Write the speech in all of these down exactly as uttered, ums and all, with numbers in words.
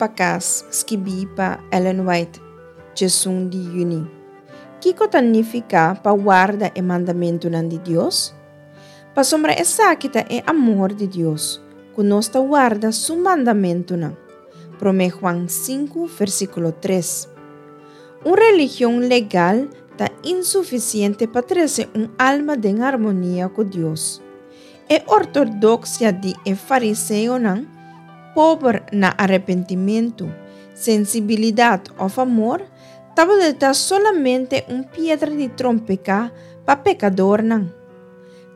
pa Kas, skibí pa Ellen White, diesun di yüni. Kiko ta nifiká pa warda e mandamentunan di Dios? Pasobra esaki ta e amor di Dios, ku nos ta warda su mandamentunan. Promé Juan sinku, versíkulo tres. Un religion legal ta insufisiente pa trese un alma den harmonia ku Dios. E ortodoksia di e fariseonan, pober na arepentimentu, sensibilidat òf amor, tabata solamente un piedra di trompeká pa pekadornan.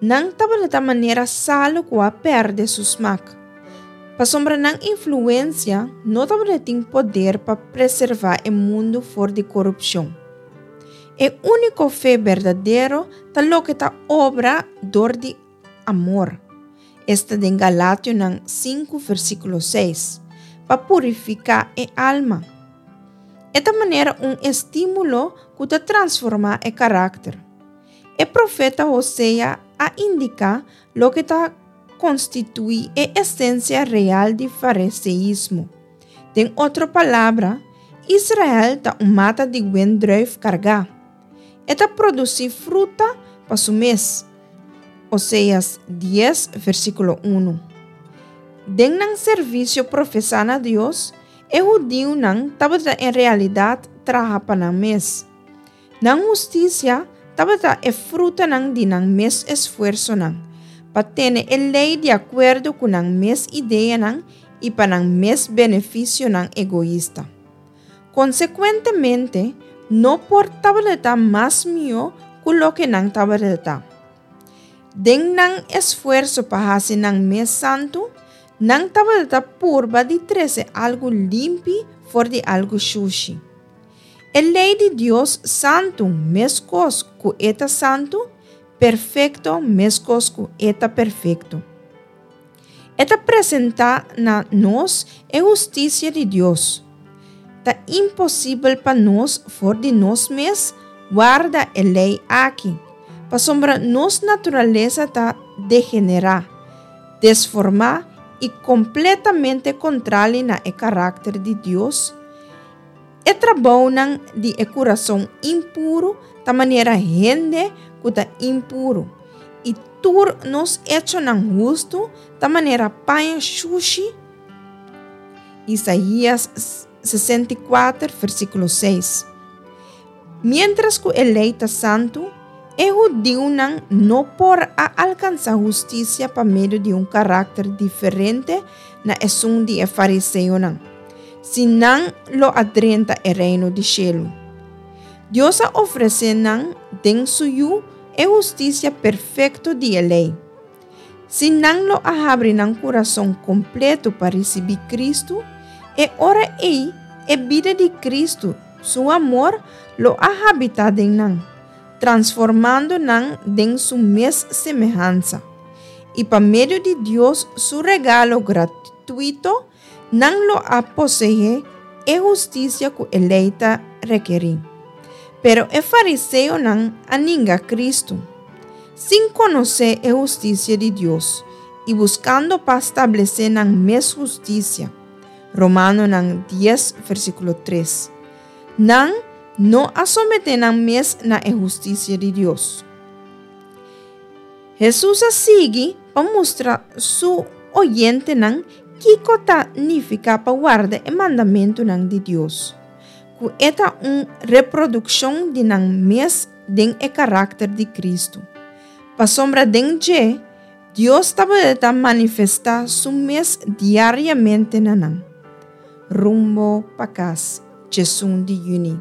Nan tabata manera salu ku a pèrdè su smak. Pasobra nan influensia no tabatin poder pa preservá e mundu for di korupshon. E úniko fe berdadero ta loke ta obra dor di amor. Esta den Galationan sinku versíkulo seis, pa purifiká e alma. E ta manera un estímulo ku ta transformá e karakter. E profeta Hosea a indiká loke ta konstituí e esensia real di fariseismo. Den otro palabra, Israel ta un mata di wendrùif kargá. E ta produsí fruta pa su mes. Oseas dies, versíkulo un. Den nan servisio profesá na Dios, e hudiunan tabata en realidat traha pa nan mes. Nan hustisia tabata e frutanan di nan mes esfuersonan, pa tene e lei di akuerdo ku nan mes ideanan i pa nan mes benefisionan egoista. Konsekuentemente, no por tabata mas mihó ku loke nan tabata. Den nan esfuerso pa hasi nan mes santu, nan tabata purba di trese algu limpi for di algu shushi. E lei di Dios santu meskos ku e ta santu, perfekto meskos ku e ta perfekto. E ta presentá na nos e hustisia di Dios. Ta imposibel pa nos for di nos mes warda e lei aki, pasobra nos naturalesa ta degenerá, desformá i kompletamente kontrali na e karakter di Dios. E trabounan di e kurason impuru ta manera hende ku ta impuru, i tur nos echonan hustu ta manera paña shushi. Isaías sesenta i kuater, versíkulo seis. Miéntras ku e lei ta santu, e hudiunan no por a alkansá hustisia pa medio di un karakter diferente na esun di e fariseonan, si nan lo a drenta e reino di shelu. Dios a ofresé nan den su Yu e hustisia perfekto di e lei. Si nan lo a habri nan kurason kompleto pa risibí Kristu, e ora ei e bida di Kristu, su amor, lo a habitá den nan, transformando nan den su mes semehansa. I pa medio di Dios su regalo gratuito, nan lo a poseé e hustisia ku e lei ta rekerí. Pero e fariseonan a ninga Kristu, sin konosé e hustisia di Dios i buskando pa establesé nan mes hustisia. Romanonan dies, versíkulo tres. Nan no a someté nan mes na e hustisia di Dios. Hesus a sigui pa mustra su oyentenan kiko ta nifiká pa warda e mandamentunan di Dios, ku e ta un reprodukshon di nan mes den e karakter di Kristu. Pasobra den dje, Dios tabata manifestá su mes diariamente na nan. Rumbo pa Kas, diesun di yüni.